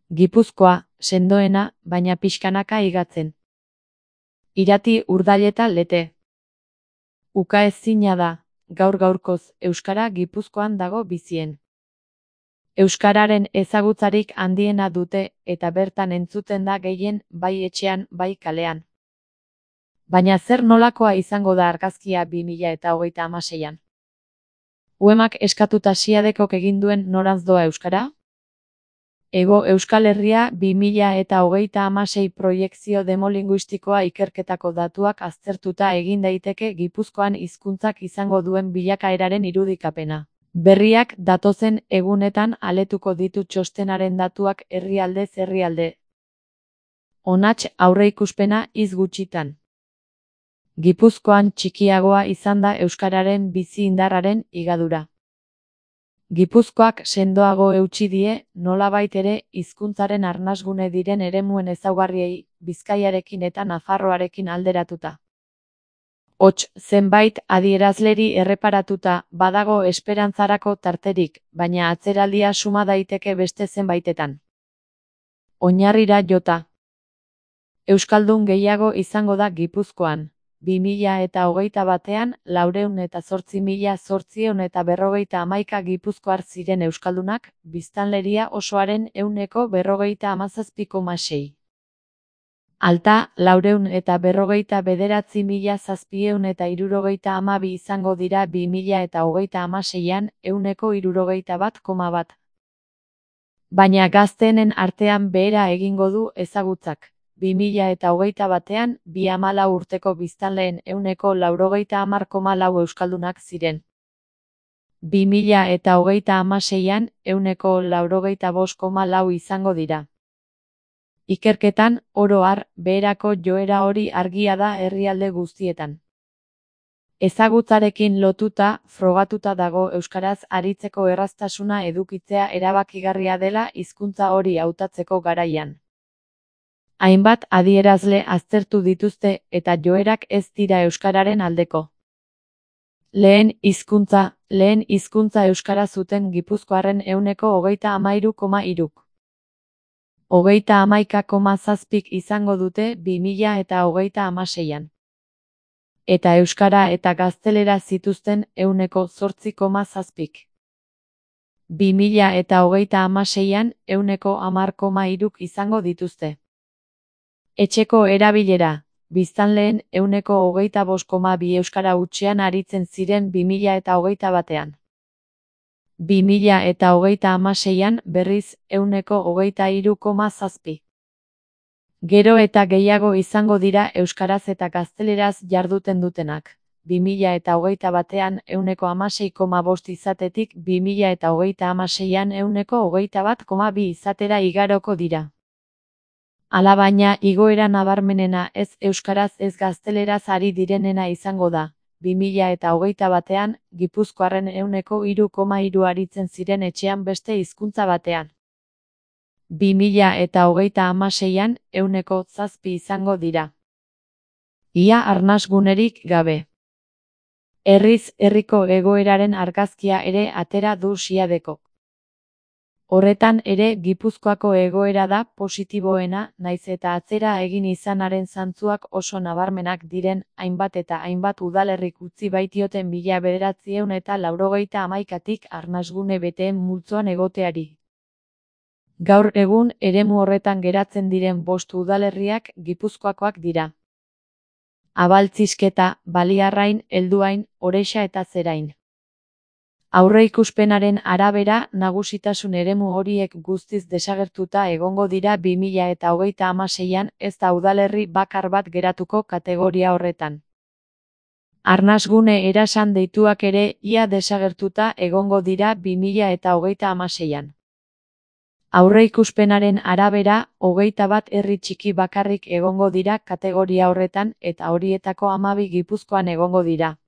Gipuzkoa, sendoena, baina pixkanaka igatzen. Irati Urdaileta Lete. Ukaezina da, gaur-gaurkoz, euskara Gipuzkoan dago bizien. Euskararen ezagutzarik handiena dute eta bertan entzuten da gehien bai etxean bai kalean. Baina zer nolakoa izango da argazkia 2026an? Uemak eskatuta Siadekok egin duen norantz doa euskara? Hego Euskal Herria 2026 proiekzio demolinguistikoa ikerketako datuak aztertuta egin daiteke Gipuzkoan hizkuntzak izango duen bilakaeraren irudikapena. Berriak datozen egunetan aletuko ditu txostenaren datuak herrialdez herrialde. Onats aurreikuspena hitz gutxitan. Gipuzkoan txikiagoa izan da euskararen bizi indarraren higadura. Gipuzkoak sendoago eutsi die, nolabait ere, hizkuntzaren arnasgune diren eremuen ezaugarriei, Bizkaiarekin eta Nafarroarekin alderatuta. Hots, zenbait adierazleri erreparatuta, badago esperantzarako tarterik, baina atzeraldia suma daiteke beste zenbaitetan. Oinarrira jota. Euskaldun gehiago izango da Gipuzkoan. 2021an 408.851 gipuzkoar ziren euskaldunak, biztanleria osoaren 40,17,6. Alta 459.772 izango dira 2026an 161,1. Baina gazteenen artean behera egingo du ezagutzak. 2021an 24 urteko biztanleen 190,4 euskaldunak ziren. 2026an 195,4 izango dira. Ikerketan, oro har, beherako joera hori argia da herrialde guztietan. Ezagutzarekin lotuta, frogatuta dago euskaraz aritzeko erraztasuna edukitzea erabakigarria dela hizkuntza hori hautatzeko garaian. Hainbat adierazle aztertu dituzte eta joerak ez dira euskararen aldeko. Lehen hizkuntza euskara zuten gipuzkoarren 33,3. 31,7 izango dute 2026an. Eta euskara eta gaztelera zituzten 8,7. 2026an 10,3 izango dituzte. Etxeko erabilera, biztanleen 25,2 euskara hutsean aritzen ziren 2021an. 2026an berriz 123,7. Gero eta gehiago izango dira euskaraz eta gazteleraz jarduten dutenak. 2021an 116,5 izatetik 2026an 121,2 izatera igaroko dira. Alabaina igoera nabarmenena ez euskaraz ez gazteleraz ari direnena izango da. 2021an Gipuzkoarren 3,3 aritzen ziren etxean beste hizkuntza batean. 2026an 7 izango dira. Ia arnasgunerik gabe. Herriz herriko egoeraren argazkia ere atera du Siadekok. Horretan ere Gipuzkoako egoera da positiboena, naiz eta atzera egin izanaren zantzuak oso nabarmenak diren, hainbat eta hainbat udalerrik utzi baitioten 1991tik arnasgune beteen multzoan egoteari. Gaur egun eremu horretan geratzen diren 5 udalerriak Gipuzkoakoak dira. Abaltzisketa, Baliarrain, Helduain, Oreixa eta Zerain. Aurreikuspenaren arabera, nagusitasun eremu horiek guztiz desagertuta egongo dira 2026an, ez da udalerri bakar bat geratuko kategoria horretan. Arnasgune erasan deituak ere ia desagertuta egongo dira 2026an. Aurreikuspenaren arabera, 21 herri txiki bakarrik egongo dira kategoria horretan eta horietako 12 Gipuzkoan egongo dira.